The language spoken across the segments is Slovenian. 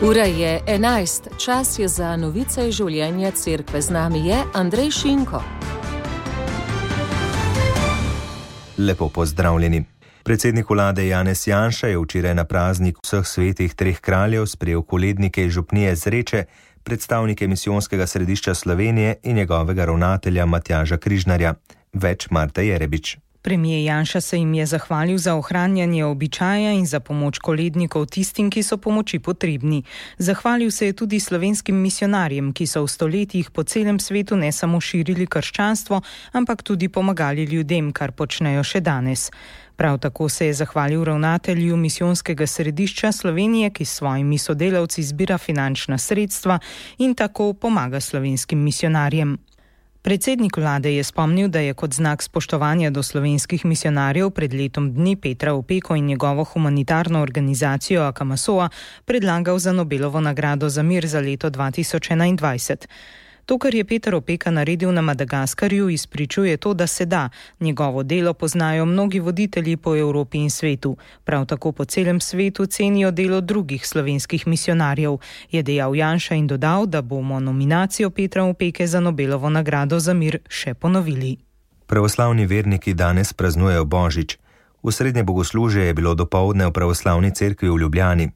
Ura je 11, čas je za novice življenja cerkve. Z nami je Andrej Šinko. Lepo pozdravljeni. Predsednik vlade Janez Janša je včeraj na praznik vseh svetih treh kraljev sprejel kolednike iz župnije Zreče, predstavnike misijonskega središča Slovenije in njegovega ravnatelja Matjaža Križnarja. Več Marta Jerebič. Premier Janša se jim je zahvalil za ohranjanje običaja in za pomoč kolednikov tistim, ki so pomoči potrebni. Zahvalil se je tudi slovenskim misionarjem, ki so v stoletjih po celem svetu ne samo širili krščanstvo, ampak tudi pomagali ljudem, kar počnejo še danes. Prav tako se je zahvalil ravnatelju misijonskega središča Slovenije, ki s svojimi sodelavci zbira finančna sredstva in tako pomaga slovenskim misionarjem. Predsednik vlade je spomnil, da je kot znak spoštovanja do slovenskih misionarjev pred letom dni Petra Opeko in njegovo humanitarno organizacijo Akamasoa predlagal za Nobelovo nagrado za mir za leto 2021. To, kar je Peter Opeka naredil na Madagaskarju, izpričuje to, da se da. Njegovo delo poznajo mnogi voditelji po Evropi in svetu. Prav tako po celem svetu cenijo delo drugih slovenskih misionarjev, je dejal Janša in dodal, da bomo nominacijo Petra Opeke za Nobelovo nagrado za mir še ponovili. Pravoslavni verniki danes praznujejo Božič. V srednje bogoslužje je bilo dopoldne v pravoslavni cerkvi v Ljubljani.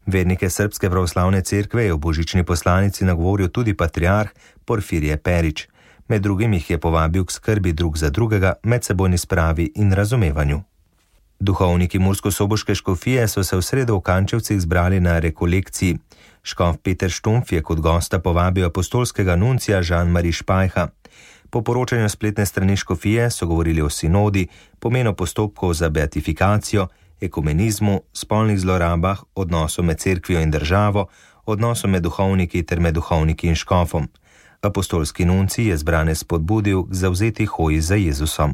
Vernike Srbske pravoslavne cerkve je v božični poslanici nagovoril tudi patriarh Porfirije Perić. Med drugim jih je povabil k skrbi drug za drugega, medsebojni spravi in razumevanju. Duhovniki murskosoboške škofije so se v sredo v Kančevcih zbrali na rekolekciji. Škof Peter Štumpf je kot gosta povabil apostolskega nuncija Jean-Marie Špajha. Po poročanju spletne strani škofije so govorili o sinodi, pomenu postopkov za beatifikacijo, ekumenizmu, spolnih zlorabah, odnosu med cerkvijo in državo, odnosu med duhovniki ter med duhovniki in škofom. Apostolski nuncij je zbrane spodbudil k zavzeti hoji za Jezusom.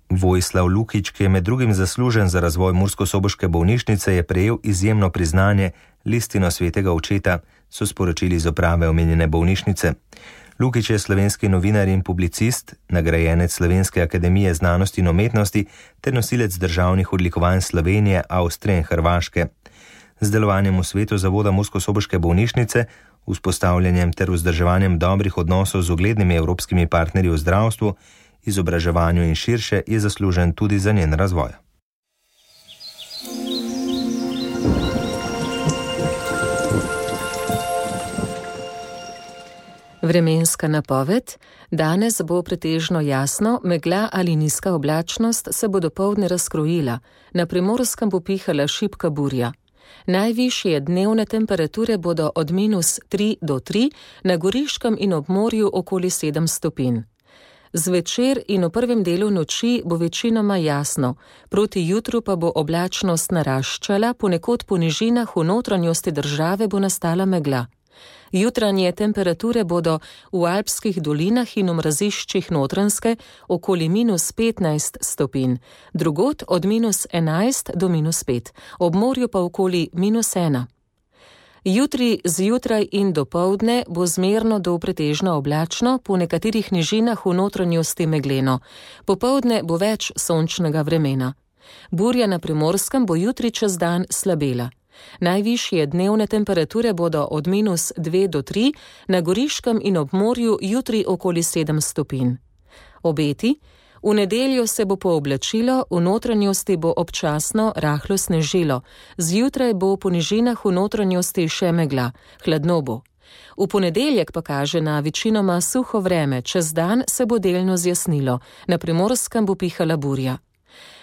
Vojislav Lukić, ki je med drugim zaslužen za razvoj murskosoboške bolnišnice, je prejel izjemno priznanje, listino svetega očeta, so sporočili iz uprave omenjene bolnišnice. Lukić je slovenski novinar in publicist, nagrajenec Slovenske akademije znanosti in umetnosti ter nosilec državnih odlikovanj Slovenije, Avstrije in Hrvaške. Z delovanjem v svetu zavoda murskosoboške bolnišnice, vzpostavljanjem ter vzdrževanjem dobrih odnosov z uglednimi evropskimi partnerji v zdravstvu, izobraževanju in širše je zaslužen tudi za njen razvoj. Vremenska napoved. Danes bo pretežno jasno, megla ali nizka oblačnost se bo dopoldne razkrojila. Na Primorskem bo pihala šibka burja. Najvišje dnevne temperature bodo od -3 do 3, na Goriškem in ob morju okoli 7 stopinj. Zvečer in v prvem delu noči bo večinoma jasno, proti jutru pa bo oblačnost naraščala, ponekod po nižinah v notranjosti države bo nastala megla. Jutranje temperature bodo v alpskih dolinah in v mraziščih Notranjske okoli -15 stopinj, drugod od -11 do -5, ob morju pa okoli -1. Jutri zjutraj in dopoldne bo zmerno do pretežno oblačno, po nekaterih nižinah v notranjosti megleno. Popoldne bo več sončnega vremena. Burja na Primorskem bo jutri čez dan slabela. Najvišje dnevne temperature bodo od -2 do 3, na Goriškem in ob morju jutri okoli 7 stopinj. Obeti. V nedeljo se bo pooblačilo, v notranjosti bo občasno rahlo snežilo, zjutraj bo po nižinah v notranjosti še megla, hladno bo. V ponedeljek pa kaže na večinoma suho vreme, čez dan se bo delno zjasnilo, na Primorskem bo pihala burja.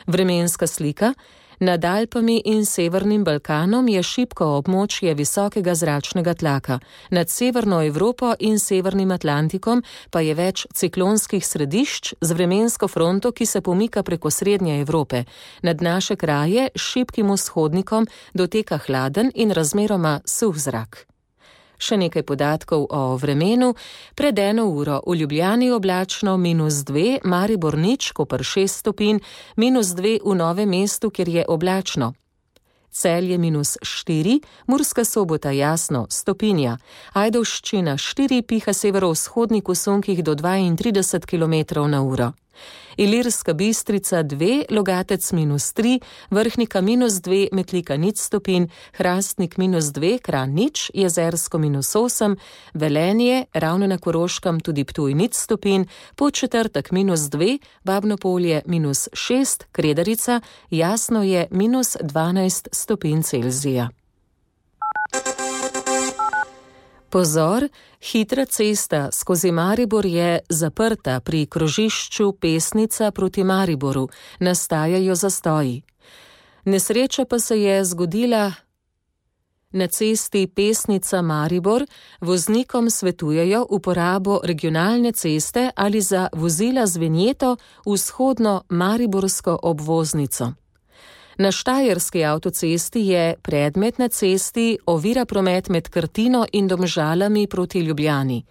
Vremenska slika. Nad Alpami in Severnim Balkanom je šibko območje visokega zračnega tlaka, nad Severno Evropo in Severnim Atlantikom pa je več ciklonskih središč z vremensko fronto, ki se pomika preko Srednje Evrope. Nad naše kraje s šibkim vzhodnikom doteka hladen in razmeroma suh zrak. Še nekaj podatkov o vremenu. Pred 1 uro v Ljubljani oblačno -2, Maribor nič, Koper 6 stopinj, -2 v Novem mestu, kjer je oblačno. Celje -4, Murska Sobota jasno, stopinja. Ajdovščina 4, piha severovzhodnik v sunkih do 32 km/h. Ilirska Bistrica 2, Logatec -3, Vrhnika -2, Metlika 0 stopinj, Hrastnik -2, Kranj 0, Jezersko -8, Velenje, ravno na Koroškem tudi Ptuj 0 stopinj, Podčetrtek -2, Babnopolje -6, Kredarica, Jasno je -12 stopinj Celzija. Pozor, hitra cesta skozi Maribor je zaprta pri krožišču Pesnica proti Mariboru, nastajajo zastoji. Nesreča pa se je zgodila na cesti Pesnica-Maribor, voznikom svetujejo uporabo regionalne ceste ali za vozila z vinjeto vzhodno mariborsko obvoznico. Na Štajerski avtocesti je predmet na cesti ovira promet med Krtino in Domžalami proti Ljubljani.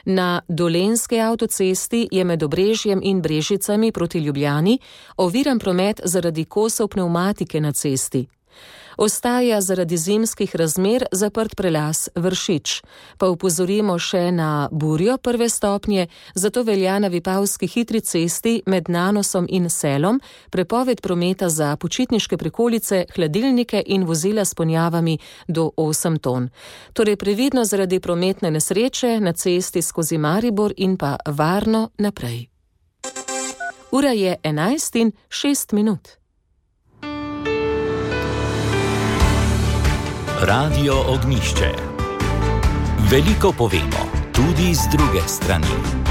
Na Dolenjski avtocesti je med Obrežjem in Brežicami proti Ljubljani oviran promet zaradi kosov pnevmatike na cesti. Ostaja zaradi zimskih razmer zaprt prelaz Vršič. Pa opozorimo še na burjo 1. stopnje, zato velja na Vipavski hitri cesti med Nanosom in Selom prepoved prometa za počitniške prikolice, hladilnike in vozila s ponjavami do 8 ton. Torej previdno zaradi prometne nesreče na cesti skozi Maribor in pa varno naprej. Ura je 11:06. Radio Ognjišče. Veliko povemo, tudi z druge strani.